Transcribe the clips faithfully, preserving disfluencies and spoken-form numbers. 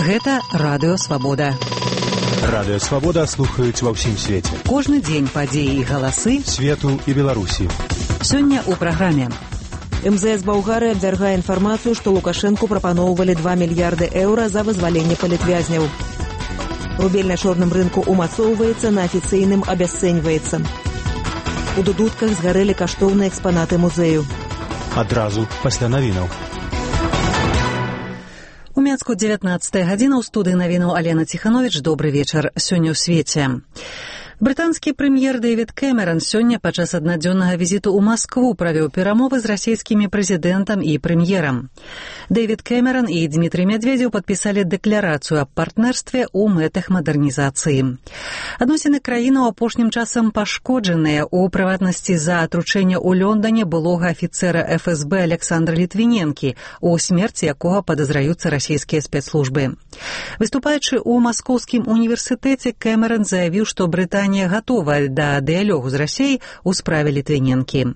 Гэта Радыё Свабода. Радыё Свабода слухаюць ва ўсім свеце. Кожны дзень падзеі і галасы свету і Беларусі. Сёння ў праграме. эм зэ эс Балгары абвяргае інфармацыю, што Лукашэнку прапаноўвалі два мільярды еўра за вызваленне палітвязняў. Рубель на чорным рынку умацоўваецца, на афіцыйным абясцэньваецца. У дудутках згарэлі каштоўныя экспанаты музею. Адразу пасля навінаў. У Мяцку дзевятнаццатая гадзіна, ў студыі навінаў Алена Ціхановіч. Добры вечар. Сёння ў свеце. Брытанскі прэм'ер Дэвід Кэмеран сёння падчас аднадзённага візіту ў Маскву правёў перамовы з расійскімі прэзідэнтам і прэм'ерам. Дэвід Кэмеран і Дмітрый Мядведзеў падпісалі дэкларацыю аб партнерстве ў мэтах мадэрнізацыі. Адносіны краіны ў апошнім часам пашкоджаныя, у прыватнасці за атручэнне ў Лондане былога афіцэра эф эс бэ Александра Літвіненкі, у смерці якога падазраюцца расійскія спецслужбы. Выступаючы ў Маскоўскім універсітэце, Кэмеран заявіў, што Брытанія готова да дыялогу з Расіяй у справе Літвіненкі.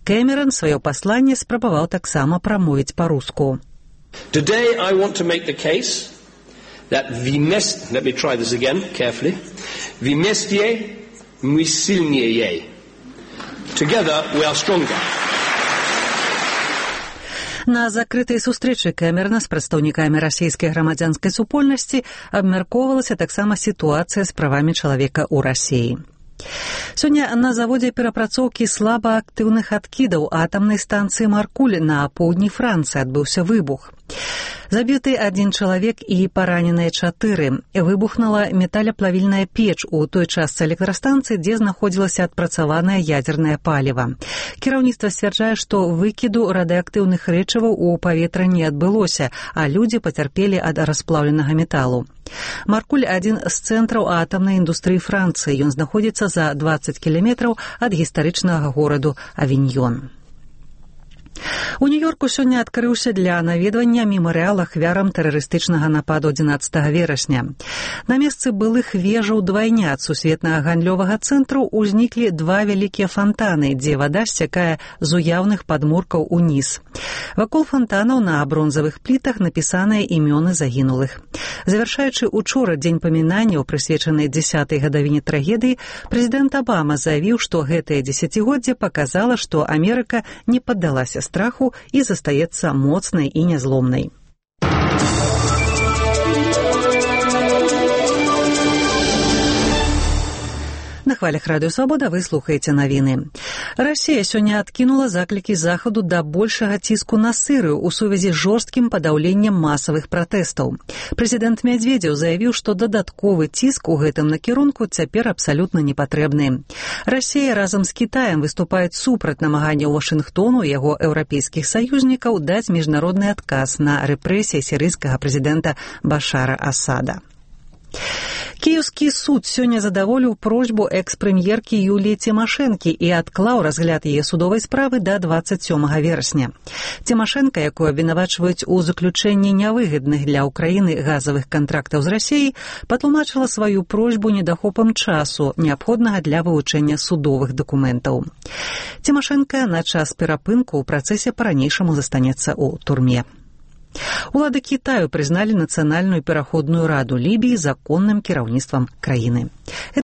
Кэмеран сваё пасланне спрабаваў таксама прамовіць па-руску. Today I want to make the case that вместе, let me try this again carefully, вместе мы сильнее. Together we are stronger. На закрытай сустрэчы Кэмерана з прадстаўнікамі расійскай грамадзянскай супольнасці абмяркоўвалася таксама сітуацыя з правамі чалавека ў Расіі. Сёння на заводзе перапрацоўкі слабаактыўных адкідаў атамнай станцыі Маркуль на поўдні Францыі адбыўся выбух. Забіты адзін чалавек і параненыя чатыры. Выбухнула металеплавільная печ у той частцы электрастанцыі, дзе знаходзілася адпрацаванае ядзернае паліва. Кіраўніцтва сцвярджае, што выкіду радыеактыўных рэчываў у паветра не адбылося, а людзі пацярпелі ад расплаўленага металу. Маркуль – адзін з цэнтраў атамнай індустрыі Францыі. Ён знаходзіцца за дваццаць кіламетраў ад гістарычнага гораду Авіньён. У Нью-Йорку сёння адкрыўся для наведвання мемарыял ахвярам тэрарыстычнага нападу адзінаццатага верасня. На месцы былых вежаў двайнят сусветнага гандлёвага цэнтру ўзніклі два вялікія фантаны, дзе вада сцякае з уяўных падмуркаў уніз. Вакол фантанаў на бронзавых плітах напісаныя імёны загінулых. Завяршаючы учора дзень памінанняў, прысвечаны дзясятай гадавіне трагедыі, прэзідэнт Абама заявіў, што гэтае дзесяцігоддзе паказала, што Амерыка не паддалася страху і застаецца моцнай і нязломнай. На хвалях Радыё Свабода вы слухаеце навіны. Расія сёння адкінула заклікі захаду да большага ціску на Сірыю ў сувязі з жорсткім падаўленнем масавых пратэстаў. Прэзідэнт Мядведзеў заявіў, што дадатковы ціск у гэтым накірунку цяпер абсалютна не патрэбны. Расія разам з Кітаем выступаюць супраць намаганняў Вашынгтону і яго еўрапейскіх саюзнікаў даць міжнародны адказ на рэпрэсіі сірыйскага прэзідэнта Башара Асада. Кіеўскі суд сёння задаволіў просьбу экс-прэм'еркі Юліі Цімашэнкі і адклаў разгляд яе судовай справы да дваццаць сёмага верасня. Цімашэнка, якую абвінавачваюць у заключэнні нявыгадных для ўкраіны газавых кантрактаў з Расіяй, патлумачыла сваю просьбу недахопам часу, неабходнага для вывучэння судовых дакументаў. Цімашэнка на час перапынку ў працэсе па-ранейшаму застанецца ў турме. Улады Кітаю прызналі нацыянальную пераходную раду Лібіі законным кіраўніцтвам краіны.